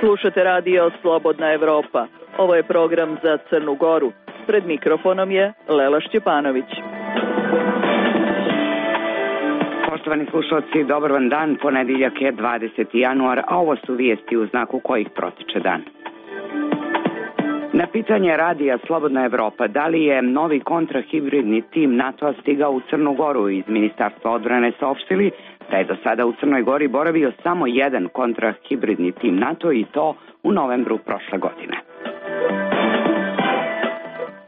Slušate radio Slobodna Evropa. Ovo je program za Crnu Goru. Pred mikrofonom je Lela Šćepanović. Poštovani slušalci, dobar vam dan. Ponedeljak je 20. januar, a ovo su vijesti u znaku kojih protiče dan. Na pitanje radija Slobodna Evropa da li je novi kontrahibridni tim NATO-a stigao u Crnu Goru, iz Ministarstva odbrane saopštili da je do sada u Crnoj Gori boravio samo jedan kontrahibridni tim NATO i to u novembru prošle godine.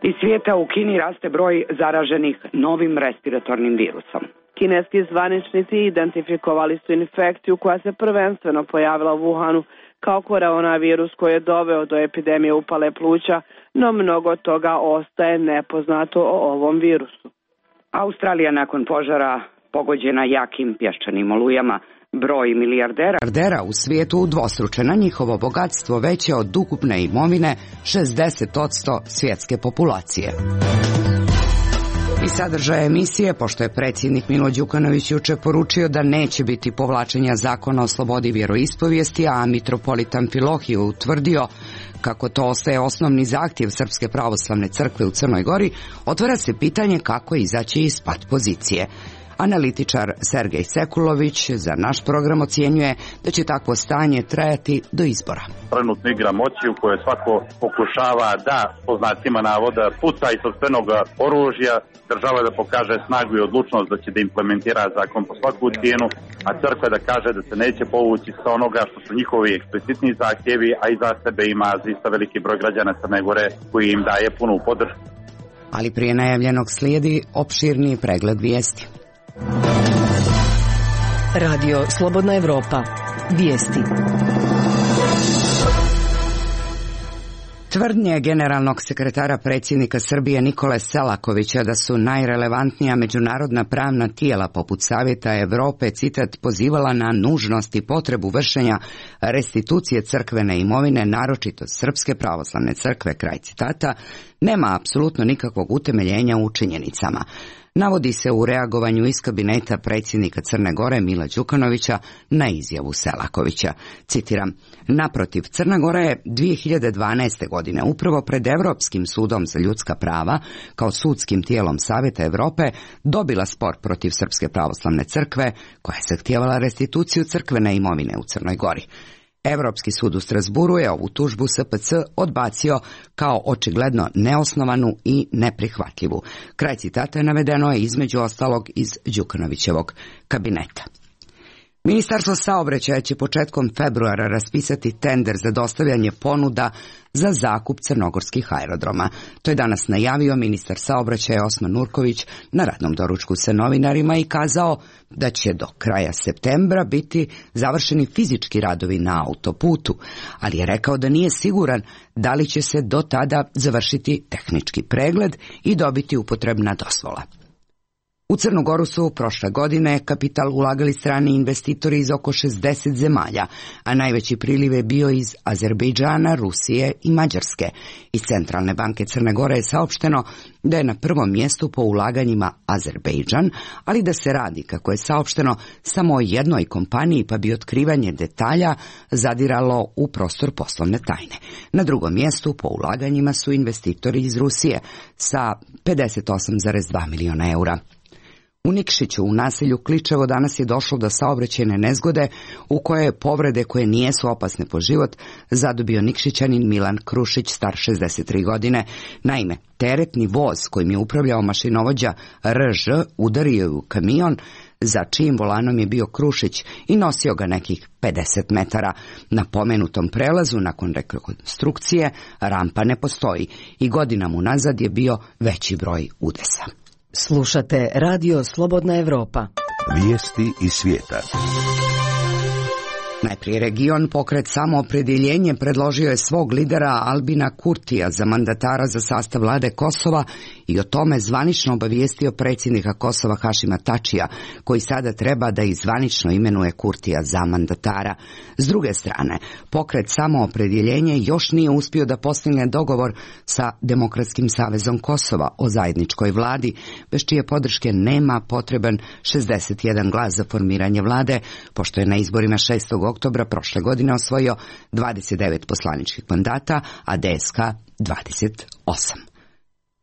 Iz svijeta u Kini raste broj zaraženih novim respiratornim virusom. Kineski zvaničnici identifikovali su infekciju koja se prvenstveno pojavila u Wuhanu kao koronavirus koji je doveo do epidemije upale pluća, no mnogo toga ostaje nepoznato o ovom virusu. Australija nakon požara pogođena jakim pješčanim olujama, broj milijardera u svijetu udvostručena, njihovo bogatstvo veće od ukupne imovine 60% svjetske populacije. I sadržaje emisije, pošto je predsjednik Milo Đukanović jučer poručio da neće biti povlačenja zakona o slobodi vjeroispovijesti, a mitropolit Amfilohije utvrdio kako to ostaje osnovni zahtjev Srpske pravoslavne crkve u Crnoj Gori, otvara se pitanje kako izaći iz pat pozicije. Analitičar Sergej Sekulović za naš program ocjenjuje da će takvo stanje trajati do izbora. Trenutno igra moći u kojoj svako pokušava da, po znacima navoda, puca iz sopstvenog oružja, država da pokaže snagu i odlučnost da će da implementira zakon po svaku cijenu, a crkva da kaže da se neće povući sa onoga što su njihovi eksplicitni zahtjevi, a iza sebe ima zaista veliki broj građana Crne Gore koji im daje punu podršku. Ali prije najavljenog slijedi opširniji pregled vijesti. Radio Slobodna Evropa. Vijesti. Tvrdnje generalnog sekretara predsjednika Srbije Nikole Selakovića da su najrelevantnija međunarodna pravna tijela poput Savjeta Evrope, citat, pozivala na nužnost i potrebu vršenja restitucije crkvene imovine, naročito Srpske pravoslavne crkve, kraj citata, nema apsolutno nikakvog utemeljenja u činjenicama. Navodi se u reagovanju iz kabineta predsjednika Crne Gore Mila Đukanovića na izjavu Selakovića. Citiram, naprotiv, Crna Gora je 2012. godine upravo pred Europskim sudom za ljudska prava, kao sudskim tijelom Savjeta Evrope, dobila spor protiv Srpske pravoslavne crkve, koja je zahtijevala restituciju crkvene imovine u Crnoj Gori. Europski sud u Strasburu je ovu tužbu SPC odbacio kao očigledno neosnovanu i neprihvatljivu. Kraj citata je navedeno je između ostalog iz Đukanovićevog kabineta. Ministarstvo saobraćaja će početkom februara raspisati tender za dostavljanje ponuda za zakup crnogorskih aerodroma. To je danas najavio ministar saobraćaja Osman Nurković na radnom doručku sa novinarima i kazao da će do kraja septembra biti završeni fizički radovi na autoputu, ali je rekao da nije siguran da li će se do tada završiti tehnički pregled i dobiti upotrebna dozvola. U Crnu Goru su prošle godine kapital ulagali strani investitori iz oko 60 zemalja, a najveći priliv je bio iz Azerbejdžana, Rusije i Mađarske. Iz Centralne banke Crne Gore je saopšteno da je na prvom mjestu po ulaganjima Azerbejdžan, ali da se radi, kako je saopšteno, samo o jednoj kompaniji, pa bi otkrivanje detalja zadiralo u prostor poslovne tajne. Na drugom mjestu po ulaganjima su investitori iz Rusije sa 58,2 miliona eura. U Nikšiću, u naselju Kličevo, danas je došlo do saobraćajne nezgode u kojoj je povrede koje nijesu opasne po život zadobio Nikšićanin Milan Krušić, star 63 godine. Naime, teretni voz kojim je upravljao mašinovođa RŽ udario je u kamion za čijim volanom je bio Krušić i nosio ga nekih 50 metara. Na pomenutom prelazu nakon rekonstrukcije rampa ne postoji i godinama unazad je bio veći broj udesa. Slušate Radio Slobodna Evropa. Vijesti iz svijeta. Najprije region. Pokret Samoopredjeljenje predložio je svog lidera Albina Kurtija za mandatara za sastav vlade Kosova i o tome zvanično obavijestio predsjednika Kosova Hašima Tačija, koji sada treba da i zvanično imenuje Kurtija za mandatara. S druge strane, pokret Samoopredjeljenje još nije uspio da postigne dogovor sa Demokratskim savezom Kosova o zajedničkoj vladi, bez čije podrške nema potreban 61 glas za formiranje vlade, pošto je na izborima 6. oktobra oktobra prošle godine osvojio 29 poslaničkih mandata, a DSK 28.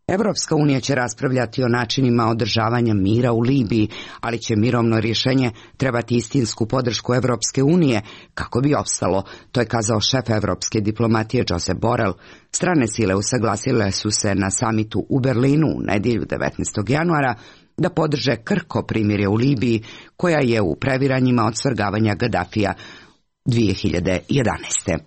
Evropska unija će raspravljati o načinima održavanja mira u Libiji, ali će mirovno rješenje trebati istinsku podršku Evropske unije kako bi opstalo, to je kazao šef evropske diplomatije Josep Borrell. Strane sile usaglasile su se na samitu u Berlinu u nedjelju 19. januara da podrže krhko primirje u Libiji, koja je u previranjima od svrgavanja Gadafija 2011.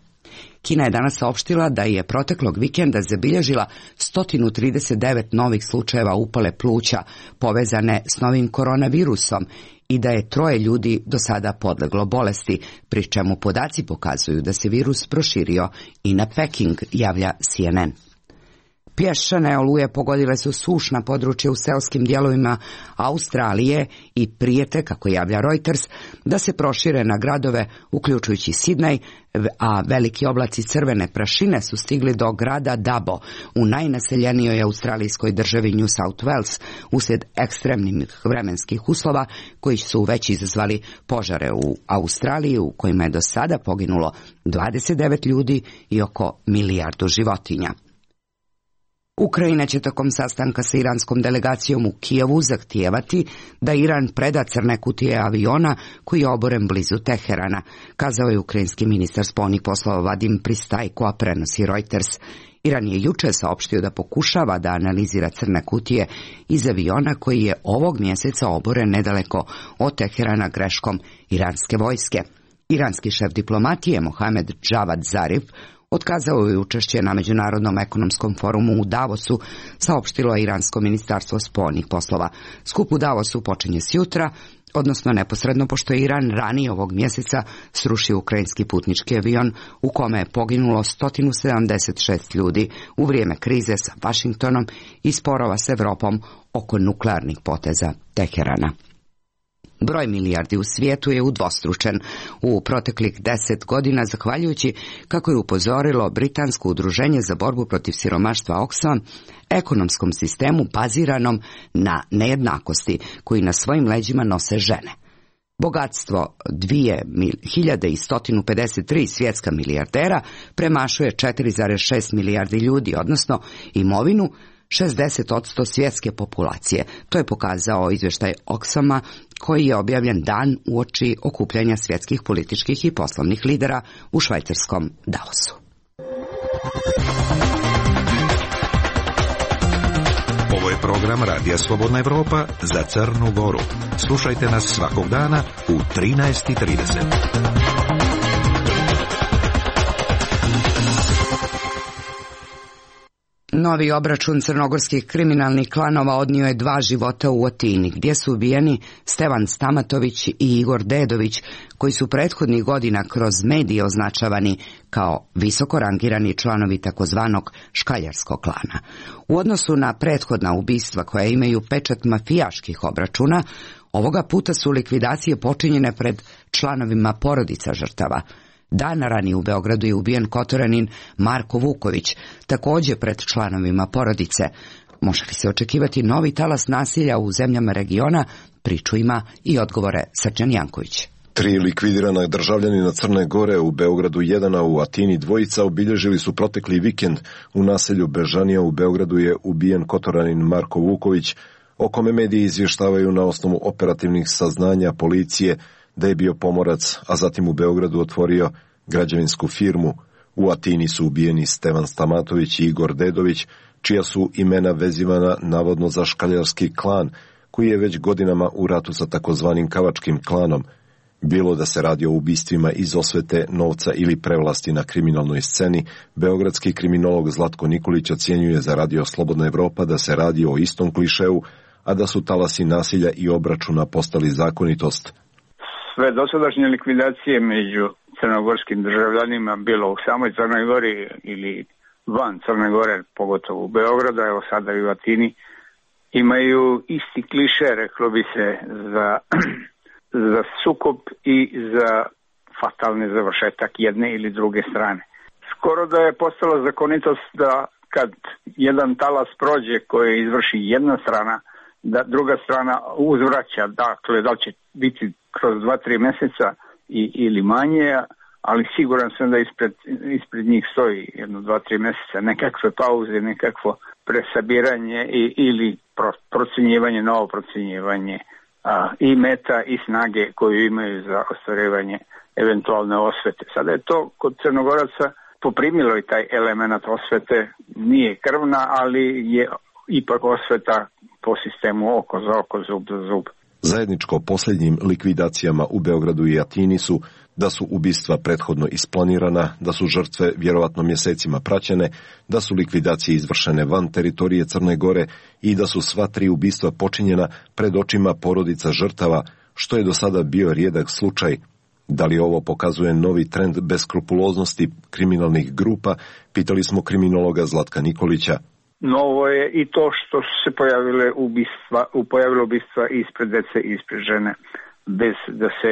Kina je danas saopštila da je proteklog vikenda zabilježila 139 novih slučajeva upale pluća povezane s novim koronavirusom i da je 3 ljudi do sada podleglo bolesti, pri čemu podaci pokazuju da se virus proširio i na Peking, javlja CNN. Pješčane oluje pogodile su sušna područja u seoskim dijelovima Australije i prijete, kako javlja Reuters, da se prošire na gradove, uključujući Sidney, a veliki oblaci crvene prašine su stigli do grada Dabo u najnaseljenijoj australijskoj državi New South Wales uslijed ekstremnih vremenskih uslova koji su već izazvali požare u Australiji, u kojima je do sada poginulo 29 ljudi i oko 1 milijardu životinja. Ukrajina će tokom sastanka sa iranskom delegacijom u Kijevu zahtijevati da Iran preda crne kutije aviona koji je oboren blizu Teherana, kazao je ukrajinski ministar spoljnih poslova Vadim Pristajko, a prenosi Reuters. Iran je juče saopštio da pokušava da analizira crne kutije iz aviona koji je ovog mjeseca oboren nedaleko od Teherana greškom iranske vojske. Iranski šef diplomatije Mohamed Javad Zarif otkazao je učešće na Međunarodnom ekonomskom forumu u Davosu, saopštilo je iransko ministarstvo spoljnih poslova. Skup u Davosu počinje sjutra, odnosno neposredno pošto je Iran ranije ovog mjeseca srušio ukrajinski putnički avion u kome je poginulo 176 ljudi u vrijeme krize sa Vašingtonom i sporova s Evropom oko nuklearnih poteza Teherana. Broj milijardi u svijetu je udvostručen u proteklih 10 godina, zahvaljujući, kako je upozorilo britansko udruženje za borbu protiv siromaštva Oxfam, ekonomskom sistemu baziranom na nejednakosti koji na svojim leđima nose žene. Bogatstvo 2153 svjetska milijardera premašuje 4,6 milijardi ljudi, odnosno imovinu 60% svjetske populacije. To je pokazao izvještaj Oxfama koji je objavljen dan uoči okupljanja svjetskih političkih i poslovnih lidera u švajcarskom Davosu. Ovo je program Radija Slobodna Evropa za Crnu Goru. Slušajte nas svakog dana u 13:30. Novi obračun crnogorskih kriminalnih klanova odnio je 2 života u Atini, gdje su ubijeni Stevan Stamatović i Igor Dedović, koji su prethodnih godina kroz medije označavani kao visoko rangirani članovi takozvanog škaljarskog klana. U odnosu na prethodna ubistva koja imaju pečat mafijaških obračuna, ovoga puta su likvidacije počinjene pred članovima porodica žrtava. Dan ranije u Beogradu je ubijen Kotoranin Marko Vuković, također pred članovima porodice. Može li se očekivati novi talas nasilja u zemljama regiona? Priču ima i odgovore Srđan Janković. 3 likvidirana državljanina Crne Gore, u Beogradu 1, a u Atini 2 obilježili su protekli vikend. U naselju Bežanija u Beogradu je ubijen Kotoranin Marko Vuković, o kome mediji izvještavaju na osnovu operativnih saznanja policije da je bio pomorac, a zatim u Beogradu otvorio građevinsku firmu. U Atini su ubijeni Stevan Stamatović i Igor Dedović, čija su imena vezivana navodno za škaljarski klan, koji je već godinama u ratu sa takozvanim kavačkim klanom. Bilo da se radi o ubistvima iz osvete, novca ili prevlasti na kriminalnoj sceni, beogradski kriminolog Zlatko Nikolić ocjenjuje za Radio Slobodna Evropa da se radi o istom klišeu, a da su talasi nasilja i obračuna postali zakonitost. Sve dosadašnje likvidacije među crnogorskim državljanima, bilo u samoj Crnoj Gori ili van Crne Gore, pogotovo u Beogradu, evo sada i u Atini, imaju isti kliše, reklo bi se, za sukob i za fatalni završetak jedne ili druge strane. Skoro da je postala zakonitost da kad jedan talas prođe koje izvrši jedna strana, da druga strana uzvraća, dakle da li će biti kroz 2-3 mjeseca ili manje, ali siguran sam da ispred njih stoji 1-2-3 mjeseca nekakve pauze, nekakvo presabiranje ili procjenjivanje, novo procjenjivanje i meta i snage koju imaju za ostvarivanje eventualne osvete. Sada je to kod Crnogoraca poprimilo i taj element osvete, nije krvna, ali je ipak osveta po sistemu oko za oko, zub za zub. Zajedničko posljednjim likvidacijama u Beogradu i Atini su da su ubistva prethodno isplanirana, da su žrtve vjerovatno mjesecima praćene, da su likvidacije izvršene van teritorije Crne Gore i da su sva 3 ubistva počinjena pred očima porodica žrtava, što je do sada bio rijedak slučaj. Da li ovo pokazuje novi trend beskrupuloznosti kriminalnih grupa, pitali smo kriminologa Zlatka Nikolića. Novo je i to što su se pojavilo ubistva ispred dece i ispred žene, bez da se,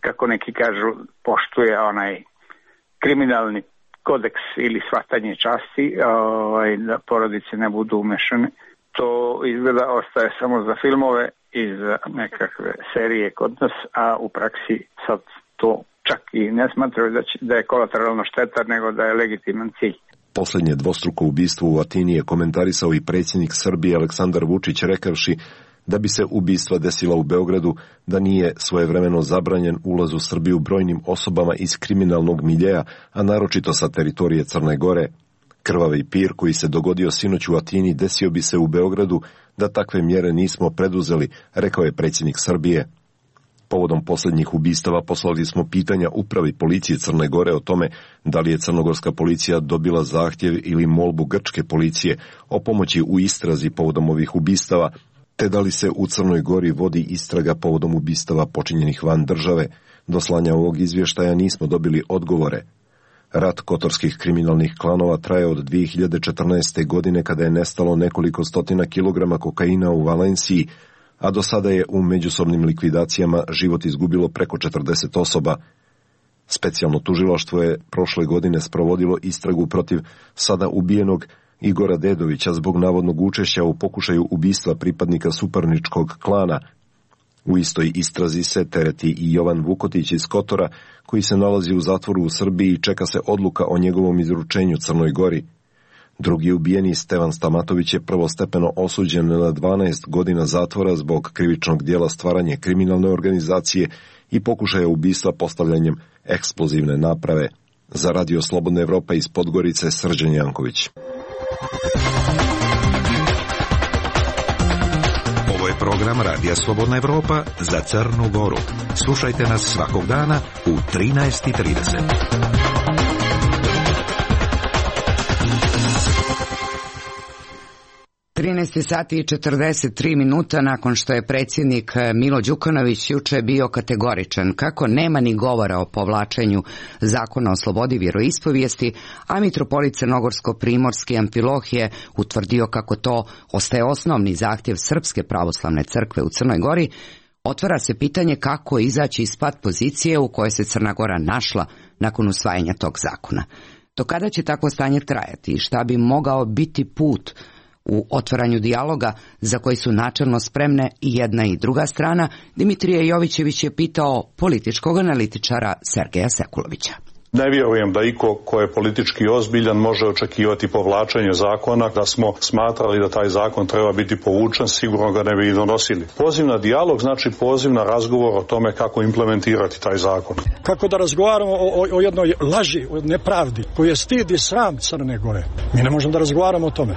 kako neki kažu, poštuje onaj kriminalni kodeks ili shvatanje časti, da porodice ne budu umešane. To izgleda ostaje samo za filmove i za nekakve serije kod nas, a u praksi sad to čak i ne smatraju da je kolateralna šteta, nego da je legitiman cilj. Posljednje dvostruko ubistvo u Atini je komentarisao i predsjednik Srbije Aleksandar Vučić, rekavši da bi se ubistva desila u Beogradu da nije svojevremeno zabranjen ulaz u Srbiju brojnim osobama iz kriminalnog miljeja, a naročito sa teritorije Crne Gore. Krvavi pir koji se dogodio sinoć u Atini desio bi se u Beogradu da takve mjere nismo preduzeli, rekao je predsjednik Srbije. Povodom posljednjih ubistava poslali smo pitanja upravi policije Crne Gore o tome da li je crnogorska policija dobila zahtjev ili molbu grčke policije o pomoći u istrazi povodom ovih ubistava, te da li se u Crnoj Gori vodi istraga povodom ubistava počinjenih van države. Do slanja ovog izvještaja nismo dobili odgovore. Rat kotorskih kriminalnih klanova traje od 2014. godine kada je nestalo nekoliko stotina kilograma kokaina u Valenciji, a do sada je u međusobnim likvidacijama život izgubilo preko 40 osoba. Specijalno tužilaštvo je prošle godine sprovodilo istragu protiv sada ubijenog Igora Dedovića zbog navodnog učešća u pokušaju ubistva pripadnika suparničkog klana. U istoj istrazi se tereti i Jovan Vukotić iz Kotora, koji se nalazi u zatvoru u Srbiji i čeka se odluka o njegovom izručenju Crnoj Gori. Drugi ubijeni, Stevan Stamatović, je prvostepeno osuđen na 12 godina zatvora zbog krivičnog dijela stvaranje kriminalne organizacije i pokušaja ubistva postavljanjem eksplozivne naprave. Za Radio Slobodna Evropa iz Podgorice, Srđan Janković. Ovo je program Radija Slobodna Evropa za Crnu Goru. Slušajte nas svakog dana u 13:30. 13 sati i 43 minuta nakon što je predsjednik Milo Đukanović juče bio kategoričan kako nema ni govora o povlačenju zakona o slobodi vjeroispovijesti, a mitropolit Crnogorsko-primorski Amfilohije utvrdio kako to ostaje osnovni zahtjev Srpske pravoslavne crkve u Crnoj Gori, otvara se pitanje kako izaći iz pat pozicije u kojoj se Crna Gora našla nakon usvajanja tog zakona. Do kada će takvo stanje trajati i šta bi mogao biti put u otvaranju dijaloga za koji su načelno spremne i jedna i druga strana, Dimitrije Jovićević je pitao političkog analitičara Sergeja Sekulovića. Ne vjerujem da iko ko je politički ozbiljan može očekivati povlačenje zakona. Da smo smatrali da taj zakon treba biti povučen, sigurno ga ne bi i donosili. Poziv na dijalog znači poziv na razgovor o tome kako implementirati taj zakon. Kako da razgovaramo o jednoj laži, o nepravdi koji je stid i sram Crne Gore. Mi ne možemo da razgovaramo o tome.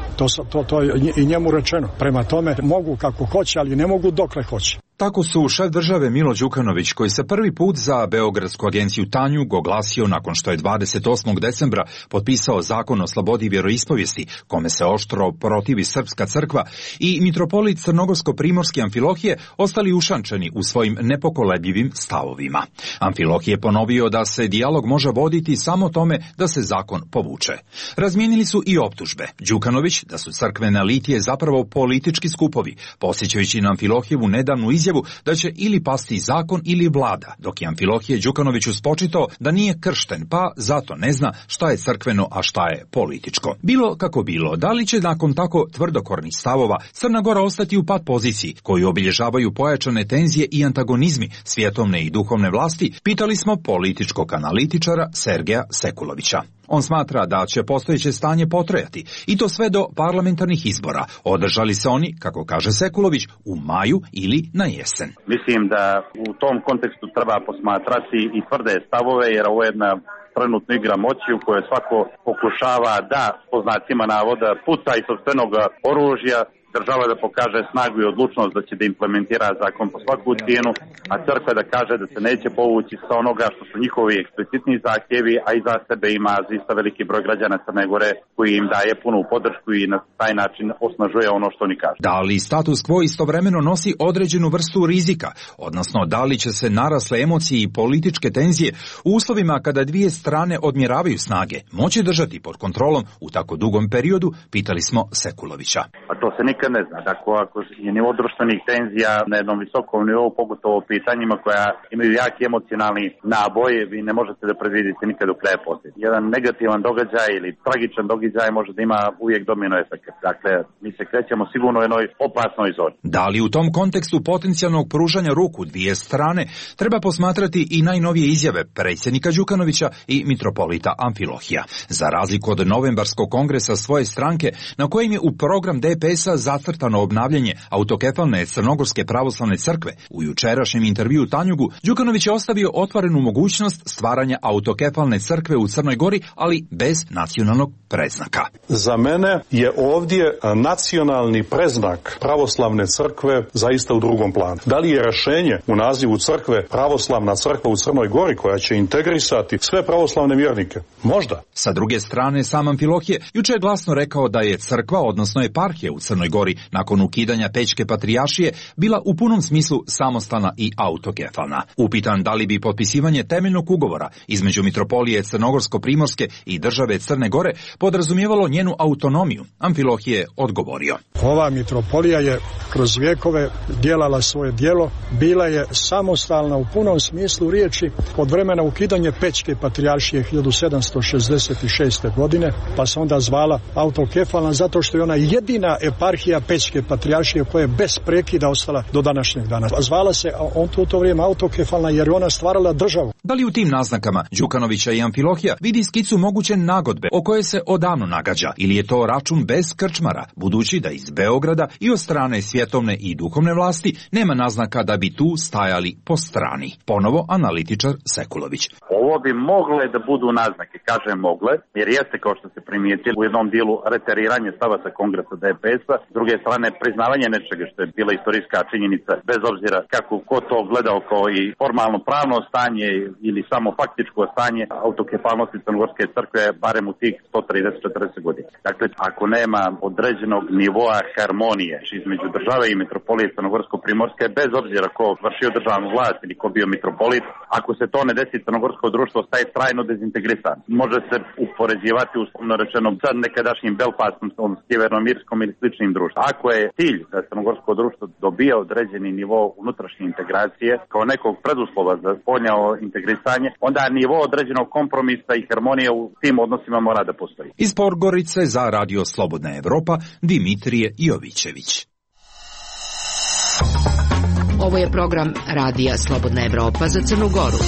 To je i njemu rečeno. Prema tome mogu kako hoće, ali ne mogu dokle hoće. Tako su šef države Milo Đukanović, koji se prvi put za Beogradsku agenciju Tanjug oglasio nakon što je 28. decembra potpisao zakon o slobodi vjeroispovijesti, kome se oštro protivi Srpska crkva, i mitropolit Crnogorsko-primorski Amfilohije ostali ušančeni u svojim nepokolebljivim stavovima. Amfilohije ponovio da se dijalog može voditi samo tome da se zakon povuče. Razmijenili su i optužbe. Đukanović da su crkvene litije zapravo politički skupovi, posjećajući na Amfilohijevu nedavnu izjavu izjavu da će ili pasti zakon ili vlada, dok je Amfilohije Đukanoviću spočitao da nije kršten, pa zato ne zna šta je crkveno, a šta je političko. Bilo kako bilo, da li će nakon tako tvrdokornih stavova Crna Gora ostati u pat poziciji koju obilježavaju pojačane tenzije i antagonizmi svjetovne i duhovne vlasti, pitali smo političkog analitičara Sergeja Sekulovića. On smatra da će postojeće stanje potrajati i to sve do parlamentarnih izbora. Održali se oni, kako kaže Sekulović, u maju ili na jesen. Mislim da u tom kontekstu treba posmatrati i tvrde stavove, jer ovo je jedna trenutna igra moći u kojoj svako pokušava da, po znacima navoda, puca iz sopstvenog oružja, država da pokaže snagu i odlučnost da će da implementira zakon po svaku cijenu, a crkva da kaže da se neće povući sa onoga što su njihovi eksplicitni zahtjevi, a iza sebe ima zaista veliki broj građana Crne Gore koji im daje punu podršku i na taj način osnažuje ono što oni kažu. Da li status quo istovremeno nosi određenu vrstu rizika, odnosno da li će se narasle emocije i političke tenzije u uslovima kada dvije strane odmjeravaju snage moći držati pod kontrolom u tako dugom periodu, pitali smo Sekulovića. A to se nikad ne zna. Dakle, ako je nivo društvenih tenzija na jednom visokom nivou, pogotovo o pitanjima koja imaju jaki emocionalni naboj, vi ne možete da predvidite nikad do kraja posljedice. Jedan negativan događaj ili tragičan događaj može da ima uvijek domino efekt. Dakle, mi se krećemo sigurno u jednoj opasnoj zoni. Da li u tom kontekstu potencijalnog pružanja ruku dvije strane treba posmatrati i najnovije izjave predsjednika Đukanovića i mitropolita Amfilohija. Za razliku od novembarskog kongresa svoje stranke, na kojem je u program DPS-a zacrtano obnavljanje autokefalne Crnogorske pravoslavne crkve, u jučerašnjem intervjuu Tanjugu, Đukanović je ostavio otvorenu mogućnost stvaranja autokefalne crkve u Crnoj Gori, ali bez nacionalnog predznaka. Za mene je ovdje nacionalni predznak pravoslavne crkve zaista u drugom planu. Da li je rješenje u nazivu crkve pravoslavna crkva u Crnoj Gori koja će integrisati sve pravoslavne vjernike? Možda. Sa druge strane, sam Amfilohije juče je glasno rekao da je crkva, odnosno eparhija u Crnoj Gori, nakon ukidanja Pećke patrijaršije, bila u punom smislu samostalna i autokefalna. Upitan da li bi potpisivanje temeljnog ugovora između mitropolije Crnogorsko-primorske i države Crne Gore podrazumijevalo njenu autonomiju, Amfilohije je odgovorio. Ova mitropolija je kroz vjekove djelala svoje djelo, bila je samostalna u punom smislu riječi od vremena ukidanja Pećke patrijaršije 1766. godine, pa se onda zvala autokefalna zato što je ona jedina eparhija Pećke patrijaršije koja je bez prekida ostala do današnjeg dana. Zvala se u to vrijeme autokefalna jer je ona stvarala državu. Da li u tim naznakama Đukanovića i Amfilohija vidi skicu moguće nagodbe o kojoj se odavno nagađa, ili je to račun bez krčmara, budući da iz Beograda i od strane svjetovne i duhovne vlasti nema naznaka da bi tu stajali po strani. Ponovo analitičar Sekulović. Ovo bi mogle da budu naznake, kažem mogle, jer jeste, kao što se primijetili, u jednom dijelu reteriranje stava sa kongresa DPS-a, s druge strane priznavanje nečega što je bila istorijska činjenica, bez obzira kako ko to gledao kao i formalno pravno stanje ili samo faktičko stanje autokefalnosti Crnogorske crkve, barem u tih 130-40 godina. Dakle, ako nema određenog nivoa harmonije između države i mitropolije Crnogorsko-primorske, bez obzira ko vršio državnu vlast ili ko bio mitropolit, ako se to ne desi, crnogorsko društvo staje trajno dezintegrisan. Može se upoređivati, uslovno rečeno, sa nekadašnjim Belfastom, Sjevernomirskom ili sličnim društvom. Ako je cilj da crnogorsko društvo dobija određeni nivo unutrašnje integracije kao nekog preduslova za spoljno integrisanje, onda nivo određenog kompromisa i harmonije u tim odnosima mora da postoji. Iz Podgorice za Radio Slobodna Evropa, Dimitrije Jovićević. Ovo je program Radija Slobodna Evropa za Crnu Goru.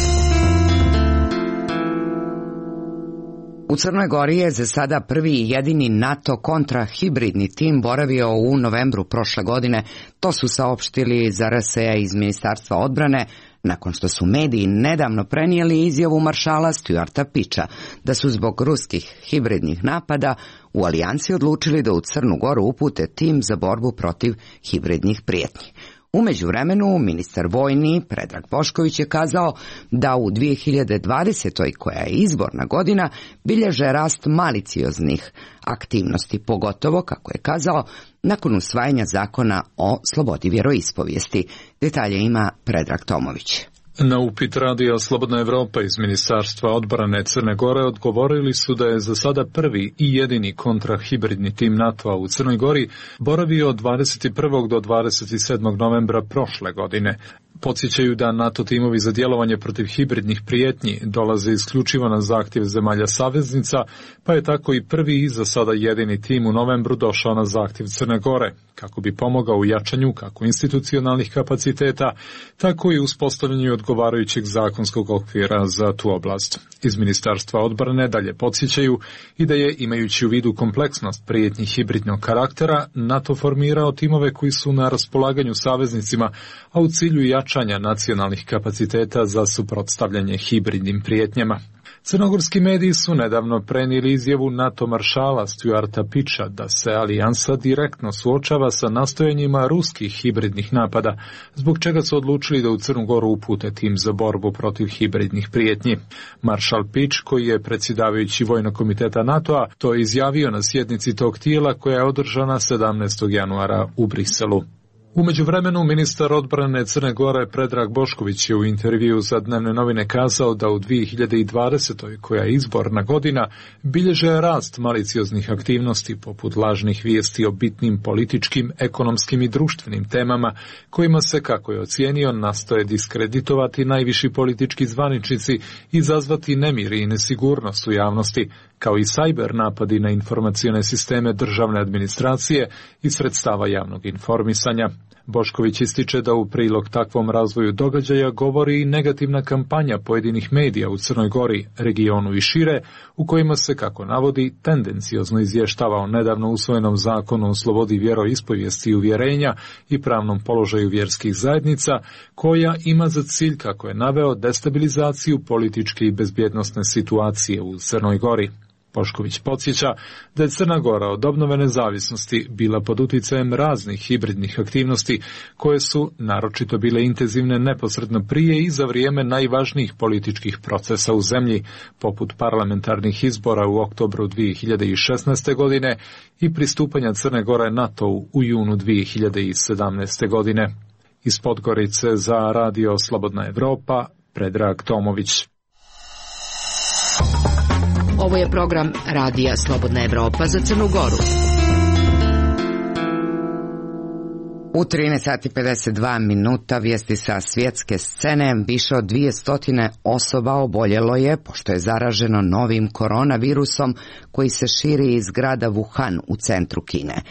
U Crnoj Gori je za sada prvi i jedini NATO kontrahibridni tim boravio u novembru prošle godine. To su saopštili za RSA iz Ministarstva odbrane, nakon što su mediji nedavno prenijeli izjavu maršala Stuarta Pića da su zbog ruskih hibridnih napada u alijansi odlučili da u Crnu Goru upute tim za borbu protiv hibridnih prijetnji. U međuvremenu, ministar vojni Predrag Bošković je kazao da u 2020. koja je izborna godina bilježe rast malicioznih aktivnosti, pogotovo, kako je kazao, nakon usvajanja zakona o slobodi vjeroispovijesti. Detalje ima Predrag Tomović. Na upit radija Slobodna Evropa iz Ministarstva odbrane Crne Gore odgovorili su da je za sada prvi i jedini kontrahibridni tim NATO-a u Crnoj Gori boravio od 21. do 27. novembra prošle godine. Podsjećaju da NATO timovi za djelovanje protiv hibridnih prijetnji dolaze isključivo na zahtjev zemalja saveznica, pa je tako i prvi i za sada jedini tim u novembru došao na zahtjev Crne Gore, kako bi pomogao u jačanju kako institucionalnih kapaciteta, tako i uspostavljanju odgovarajućeg zakonskog okvira za tu oblast. Iz Ministarstva odbrane dalje podsjećaju i da je, imajući u vidu kompleksnost prijetnji hibridnog karaktera, NATO formirao timove koji su na raspolaganju saveznicima, a u cilju jačanja nacionalnih kapaciteta za suprotstavljanje hibridnim prijetnjama. Crnogorski mediji su nedavno prenijeli izjavu NATO maršala Stuarta Pića da se alijansa direktno suočava sa nastojanjima ruskih hibridnih napada, zbog čega su odlučili da u Crnu Goru upute tim za borbu protiv hibridnih prijetnji. Maršal Pić, koji je predsjedavajući Vojnog komiteta NATO-a, to je izjavio na sjednici tog tijela koja je održana 17. januara u Briselu. U međuvremenu, ministar odbrane Crne Gore Predrag Bošković je u intervju za Dnevne novine kazao da u 2020. koja je izborna godina, bilježe rast malicioznih aktivnosti poput lažnih vijesti o bitnim političkim, ekonomskim i društvenim temama, kojima se, kako je ocijenio, nastoje diskreditovati najviši politički zvaničnici i izazvati nemir i nesigurnost u javnosti, kao i sajber napadi na informacione sisteme državne administracije i sredstava javnog informisanja. Bošković ističe da u prilog takvom razvoju događaja govori i negativna kampanja pojedinih medija u Crnoj Gori, regionu i šire, u kojima se, kako navodi, tendenciozno izvještava o nedavno usvojenom zakonu o slobodi vjeroispovijesti i uvjerenja i pravnom položaju vjerskih zajednica, koja ima za cilj, kako je naveo, destabilizaciju političke i bezbjednosne situacije u Crnoj Gori. Bošković podsjeća da je Crna Gora od obnove nezavisnosti bila pod utjecajem raznih hibridnih aktivnosti koje su naročito bile intenzivne neposredno prije i za vrijeme najvažnijih političkih procesa u zemlji, poput parlamentarnih izbora u oktobru 2016. godine i pristupanja Crne Gore NATO-u u junu 2017. godine. Iz Podgorice za radio Slobodna Evropa, Predrag Tomović. Ovo je program Radija Slobodna Evropa za Crnu Goru. U 13:52 vijesti sa svjetske scene. Više od 200 osoba oboljelo je pošto je zaraženo novim koronavirusom koji se širi iz grada Wuhan u centru Kine.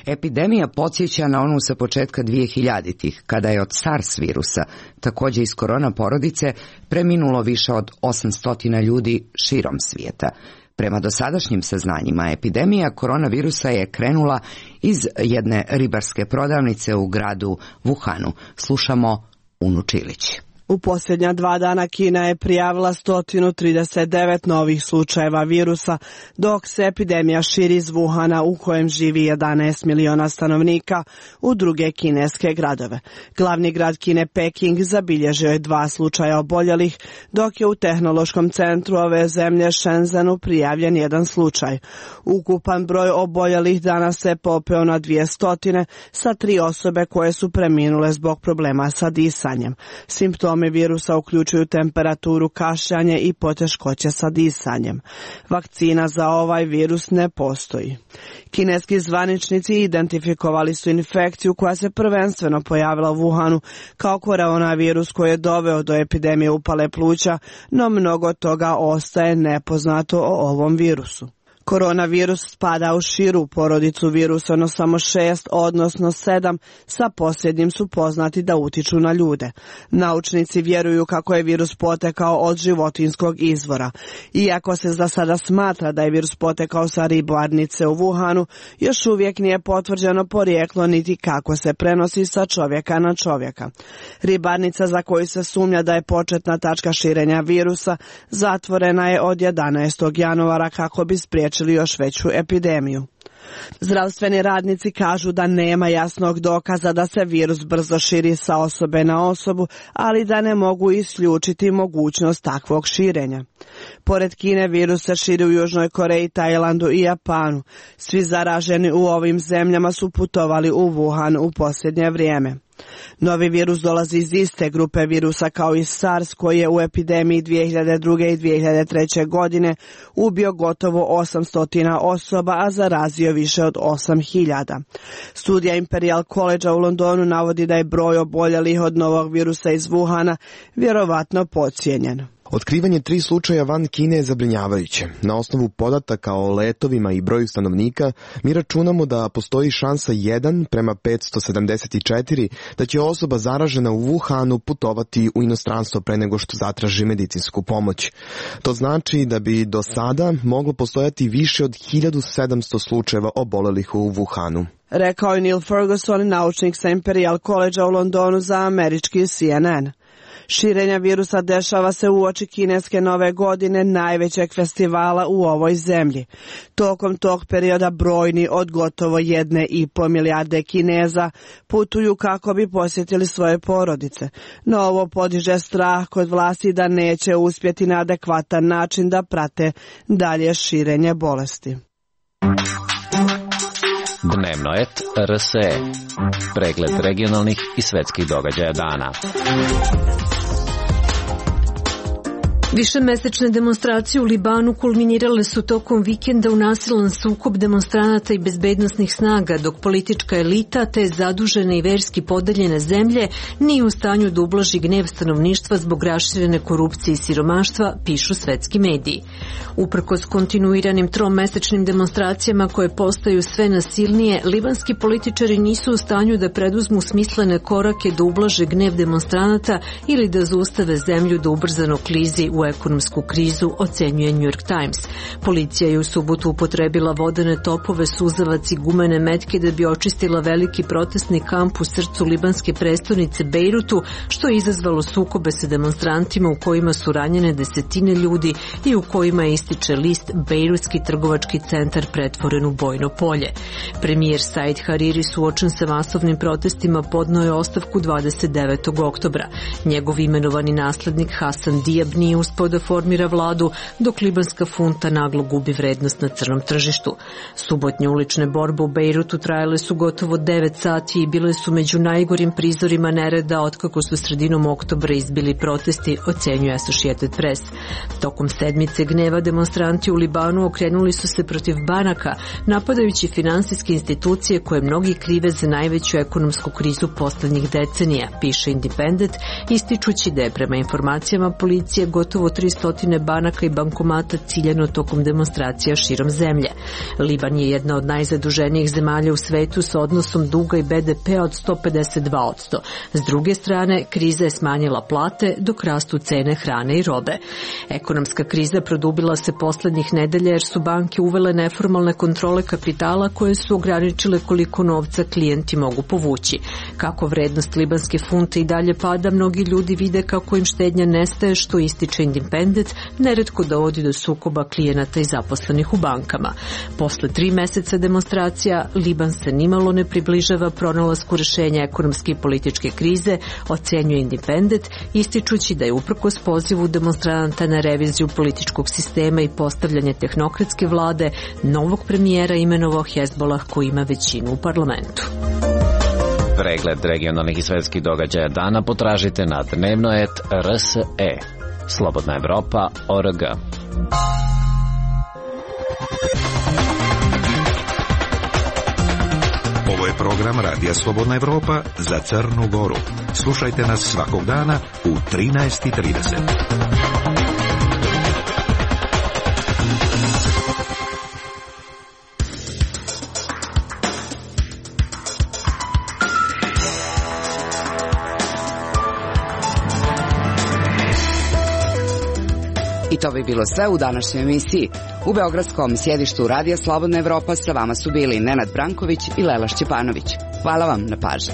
Epidemija podsjeća na onu sa početka 2000-ih, kada je od SARS virusa, također iz korona porodice, preminulo više od 800 ljudi širom svijeta. Prema dosadašnjim saznanjima, epidemija koronavirusa je krenula iz jedne ribarske prodavnice u gradu Wuhanu. Slušamo Unu Čilić. U posljednja 2 dana Kina je prijavila 139 novih slučajeva virusa, dok se epidemija širi iz Wuhana u kojem živi 11 miliona stanovnika u druge kineske gradove. Glavni grad Kine, Peking, zabilježio je 2 slučaja oboljelih, dok je u tehnološkom centru ove zemlje Shenzhenu prijavljen 1 slučaj. Ukupan broj oboljelih danas se popeo na 200 sa 3 osobe koje su preminule zbog problema sa disanjem. Simptomi virusa uključuju temperaturu, kašljanje i poteškoće sa disanjem. Vakcina za ovaj virus ne postoji. Kineski zvaničnici identifikovali su infekciju koja se prvenstveno pojavila u Wuhanu kao koronavirus koji je doveo do epidemije upale pluća, no mnogo toga ostaje nepoznato o ovom virusu. Koronavirus spada u širu porodicu virusa, no samo 6, odnosno 7, sa posljednjim su poznati da utiču na ljude. Naučnici vjeruju kako je virus potekao od životinjskog izvora. Iako se za sada smatra da je virus potekao sa ribarnice u Wuhanu, još uvijek nije potvrđeno porijeklo niti kako se prenosi sa čovjeka na čovjeka. Ribarnica, za koju se sumnja da je početna tačka širenja virusa, zatvorena je od 11. januara kako bi spriječili još veću epidemiju. Zdravstveni radnici kažu da nema jasnog dokaza da se virus brzo širi sa osobe na osobu, ali da ne mogu isključiti mogućnost takvog širenja. Pored Kine, virus se širi u Južnoj Koreji, Tajlandu i Japanu. Svi zaraženi u ovim zemljama su putovali u Wuhan u posljednje vrijeme. Novi virus dolazi iz iste grupe virusa kao i SARS, koji je u epidemiji 2002. i 2003. godine ubio gotovo 800 osoba, a zarazio više od 8.000. Studija Imperial College u Londonu navodi da je broj oboljelih od novog virusa iz Wuhana vjerovatno podcijenjen. Otkrivanje 3 slučaja van Kine je zabrinjavajuće. Na osnovu podataka o letovima i broju stanovnika, mi računamo da postoji šansa 1 prema 574 da će osoba zaražena u Wuhanu putovati u inostranstvo pre nego što zatraži medicinsku pomoć. To znači da bi do sada moglo postojati više od 1700 slučajeva obolelih u Wuhanu. Rekao je Neil Ferguson, naučnik sa Imperial College u Londonu za američki CNN. Širenja virusa dešava se uoči kineske nove godine, najvećeg festivala u ovoj zemlji. Tokom tog perioda brojni od gotovo 1,5 milijarde Kineza putuju kako bi posjetili svoje porodice. No ovo podiže strah kod vlasti da neće uspjeti na adekvatan način da prate dalje širenje bolesti. Dnevno et RSE. Pregled regionalnih i svetskih događaja dana. Višemesečne demonstracije u Libanu kulminirale su tokom vikenda u nasilan sukob demonstranata i bezbednosnih snaga, dok politička elita te zadužene i verski podeljene zemlje nije u stanju da ublaži gnev stanovništva zbog raširene korupcije i siromaštva, pišu svetski mediji. Uprkos kontinuiranim tromesečnim demonstracijama koje postaju sve nasilnije, libanski političari nisu u stanju da preduzmu smislene korake da ublaže gnev demonstranata ili da zaustave zemlju da ubrzano klizi u ekonomsku krizu, ocenjuje New York Times. Policija je u subotu upotrebila vodene topove, suzavac i gumene metke da bi očistila veliki protestni kamp u srcu libanske prestonice Bejrutu, što je izazvalo sukobe sa demonstrantima u kojima su ranjene desetine ljudi i u kojima je ističe list Bejrutski trgovački centar pretvoren u bojno polje. Premijer Said Hariri, suočen sa masovnim protestima, podneo je ostavku 29. oktobra. Njegov imenovani naslednik Hasan Diab nije uspeo da formira vladu, dok libanska funta naglo gubi vrednost na crnom tržištu. Subotnje ulične borbe u Bejrutu trajale su gotovo 9 sati i bile su među najgorim prizorima nereda otkako su sredinom oktobra izbili protesti, ocenjuje Associated Press. Tokom sedmice gneva demonstranti u Libanu okrenuli su se protiv banaka, napadajući finansijske institucije koje mnogi krive za najveću ekonomsku krizu poslednjih decenija, piše Independent, ističući da je prema informacijama policije gotovo 300 banaka i bankomata ciljano tokom demonstracija širom zemlje. Liban je jedna od najzaduženijih zemalja u svetu sa odnosom duga i BDP-a od 152%. S druge strane, kriza je smanjila plate dok rastu cene hrane i robe. Ekonomska kriza produbila se poslednjih nedelja jer su banke uvele neformalne kontrole kapitala koje su ograničile koliko novca klijenti mogu povući. Kako vrednost libanske funte i dalje pada, mnogi ljudi vide kako im štednja nestaje, što ističe Independent, neretko dovodi do sukoba klijenata i zaposlenih u bankama. Posle 3 meseca demonstracija, Liban se nimalo ne približava pronalasku rešenja ekonomske i političke krize, ocenjuje Independent, ističući da je uprkos pozivu demonstranata na reviziju političkog sistema i postavljanje tehnokratske vlade, novog premijera imenovao Hezbollah koji ima većinu u parlamentu. Pregled regionalnih i svetskih događaja dana potražite na dnevnoet RSE. Slobodna Evropa.org. Ovo je program Radija Slobodna Evropa za Crnu Goru. Slušajte nas svakog dana u 13:30. I to bi bilo sve u današnjoj emisiji. U beogradskom sjedištu Radija Slobodna Evropa sa vama su bili Nenad Branković i Lela Šćepanović. Hvala vam na pažnji.